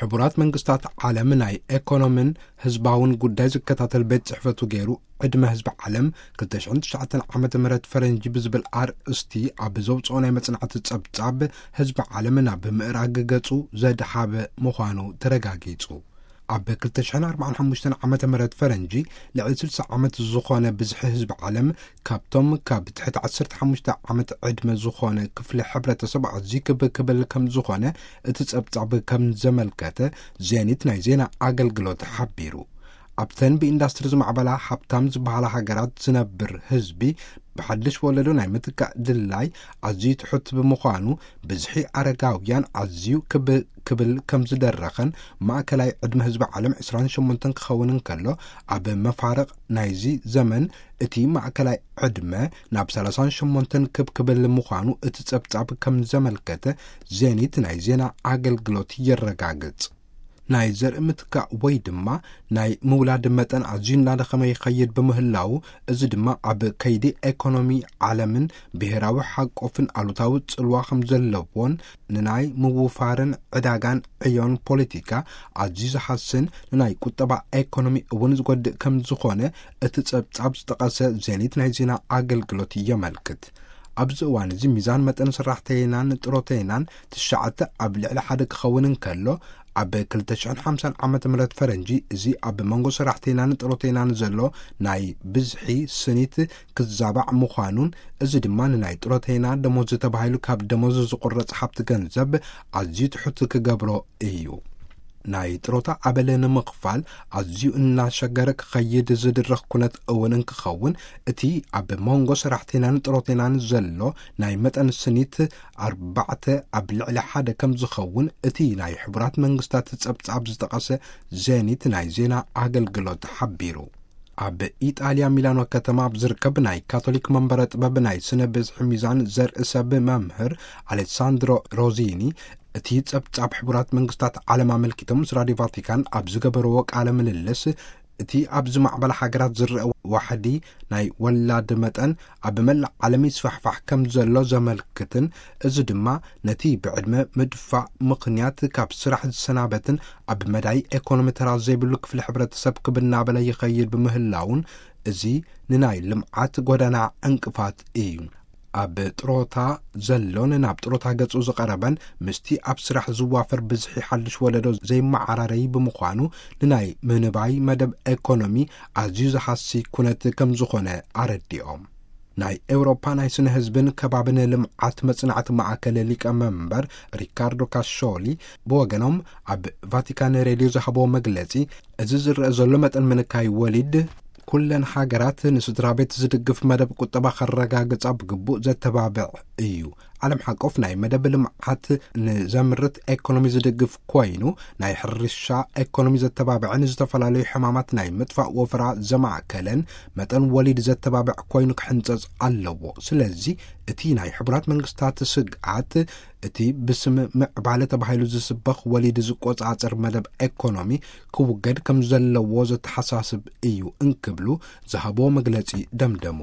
ሕቡራት መንግስታት ዓለም ናይ ኤኮኖምን ህዝባውን ጉዳይ ዝከታተል ቤት ጽሕፈቱ ገይሩ፣ ዕድመ ህዝቢ ዓለም ክልተ ሽሕን ትሽዓተን ዓመተ ምህረት ፈረንጂ ብዝብል ኣርእስቲ ኣብ ዘውጽኦ ናይ መጽናዕቲ ጸብጻብ፣ ህዝቢ ዓለም ናብ ምእራግ ገጹ ዘድሃበ ምዃኑ ተረጋጊጹ። ኣብ ክልተ ሽሕን ኣርባዓን ሓሙሽተን ዓመተ ምህረት ፈረንጂ ልዕሊ ስልሳ ዓመት ዝኾነ ብዝሒ ህዝቢ ዓለም ካብቶም ካብ ትሕቲ ዓሰርተ ሓሙሽተ ዓመት ዕድመ ዝኾነ ክፍሊ ሕብረተሰብ ኣዝዩ ክብ ክብል ከም ዝኾነ እቲ ጸብጻብ ከም ዘመልከተ ዜኒት ናይ ዜና ኣገልግሎት ሓቢሩ። ኣብተን ብኢንዳስትሪ ዝማዕበላ ሃብታም ዝበሃላ ሃገራት ዝነብር ህዝቢ ብሓድሽ ወለዶ ናይ ምትካእ ድላይ ኣዝዩ ትሑት ብምዃኑ፣ ብዝሒ ኣረጋውያን ኣዝዩ ክብ ክብል ከም ዝደረኸን፣ ማእከላይ ዕድመ ህዝቢ ዓለም ዕስራን ሸሞንተን ክኸውን እንከሎ፣ ኣብ መፋርቕ ናይዚ ዘመን እቲ ማእከላይ ዕድመ ናብ ሰላሳን ሸሞንተን ክብ ክብል ምዃኑ እቲ ጸብጻብ ከም ዘመልከተ ዜኒት ናይ ዜና ኣገልግሎት የረጋግጽ። ናይ ዘርኢ ምትካእ ወይ ድማ ናይ ምውላድ መጠን ኣዝዩ እናደኸመ ይኸይድ ብምህላው፣ እዚ ድማ ኣብ ከይዲ ኤኮኖሚ ዓለምን ብሄራዊ ሓቆፍን ኣሉታዊ ጽልዋ ከም ዘለዎን፣ ንናይ ምውፋርን ዕዳጋን ዕዮን ፖለቲካ ኣዝዩ ዝሃስን፣ ንናይ ቁጠባ ኤኮኖሚ እውን ዝጎድእ ከም ዝኾነ እቲ ጸብጻብ ዝጠቐሰ ዜኒት ናይ ዜና ኣገልግሎት የመልክት። ኣብዚ እዋን እዚ ሚዛን መጠን ሰራሕተይናን ጥሮተይናን ትሽዓተ ኣብ ልዕሊ ሓደ ክኸውን እንከሎ፣ ኣብ ክልተ ሽሕን ሓምሳን ዓመተ ምህረት ፈረንጂ እዚ ኣብ መንጎ ሰራሕተይናን ጥሮተይናን ዘሎ ናይ ብዝሒ ስኒት ክዛባዕ ምዃኑን፣ እዚ ድማ ንናይ ጥሮተይና ደሞዝ ተባሂሉ ካብ ደሞዝ ዝቑረጽ ሃብቲ ገንዘብ ኣዝዩ ትሑት ክገብሮ እዩ። ናይ ጥሮታ ኣበል ንምኽፋል ኣዝዩ እናሸገረ ክኸይድ ዝድረኽ ኩነት እውን እንክኸውን፣ እቲ ኣብ መንጎ ሰራሕተይናን ጥሮተይናን ዘሎ ናይ መጠን ስኒት ኣርባዕተ ኣብ ልዕሊ ሓደ ከም ዝኸውን እቲ ናይ ሕቡራት መንግስታት ጸብጻብ ዝጠቐሰ ዜኒት ናይ ዜና ኣገልግሎት ሓቢሩ። ኣብ ኢጣልያ ሚላኖ ከተማ ኣብ ዝርከብ ናይ ካቶሊክ መንበረ ጥበብ ናይ ስነ ብዝሒ ሚዛን ዘርኢ ሰብ መምህር ኣሌሳንድሮ ሮዚኒ፣ እቲ ጸብጻብ ሕቡራት መንግስታት ዓለም ኣመልኪቶም ምስ ራድዮ ቫቲካን ኣብ ዝገበርዎ ቃለ ምልልስ፣ እቲ ኣብ ዝማዕበላ ሃገራት ዝረአ ዋሕዲ ናይ ወላድ መጠን ኣብ መላእ ዓለም ይስፋሕፋሕ ከም ዘሎ ዘመልክትን፣ እዚ ድማ ነቲ ብዕድመ ምድፋእ ምኽንያት ካብ ስራሕ ዝሰናበትን ኣብ መዳይ ኤኮኖሚ ተራ ዘይብሉ ክፍሊ ሕብረተሰብ ክብ እናበለ ይኸይድ ብምህላውን፣ እዚ ንናይ ልምዓት ጎዳና ዕንቅፋት እዩ። ኣብ ጥሮታ ዘሎን ናብ ጥሮታ ገጹ ዝቐረበን ምስቲ ኣብ ስራሕ ዝዋፈር ብዝሒ ሓድሽ ወለዶ ዘይመዓራረይ ብምዃኑ፣ ንናይ ምንባይ መደብ ኤኮኖሚ ኣዝዩ ዝሃሲ ኩነት ከም ዝኾነ ኣረዲኦም። ናይ ኤውሮፓ ናይ ስነ ህዝብን ከባብን ልምዓት መጽናዕቲ ማእከል ሊቀ መንበር ሪካርዶ ካሾሊ ብወገኖም፣ ኣብ ቫቲካን ሬድዮ ዝሃብዎ መግለጺ፣ እዚ ዝረአ ዘሎ መጠን ምንካይ ወሊድ፣ ኩለን ሃገራት ንስድራ ቤት ዝድግፍ መደብ ቁጠባ ከረጋግጻ ብግቡእ ዘተባብዕ እዩ። ዓለም ሓቆፍ ናይ መደብ ልምዓት ንዘምርት ኤኮኖሚ ዝድግፍ ኮይኑ፣ ናይ ሕርሻ ኤኮኖሚ ዘተባብዕን ዝተፈላለዩ ሕማማት ናይ ምጥፋእ ወፍራ ዘማእከለን መጠን ወሊድ ዘተባብዕ ኮይኑ ክሕንጸጽ ኣለዎ። ስለዚ እቲ ናይ ሕቡራት መንግስታት ስግኣት፣ እቲ ብስም ምዕባለ ተባሂሉ ዝስበኽ ወሊድ ዝቆጻጸር መደብ ኤኮኖሚ ክውገድ ከም ዘለዎ ዘተሓሳስብ እዩ እንክብሉ ዝሃብዎ መግለጺ ደምደሙ።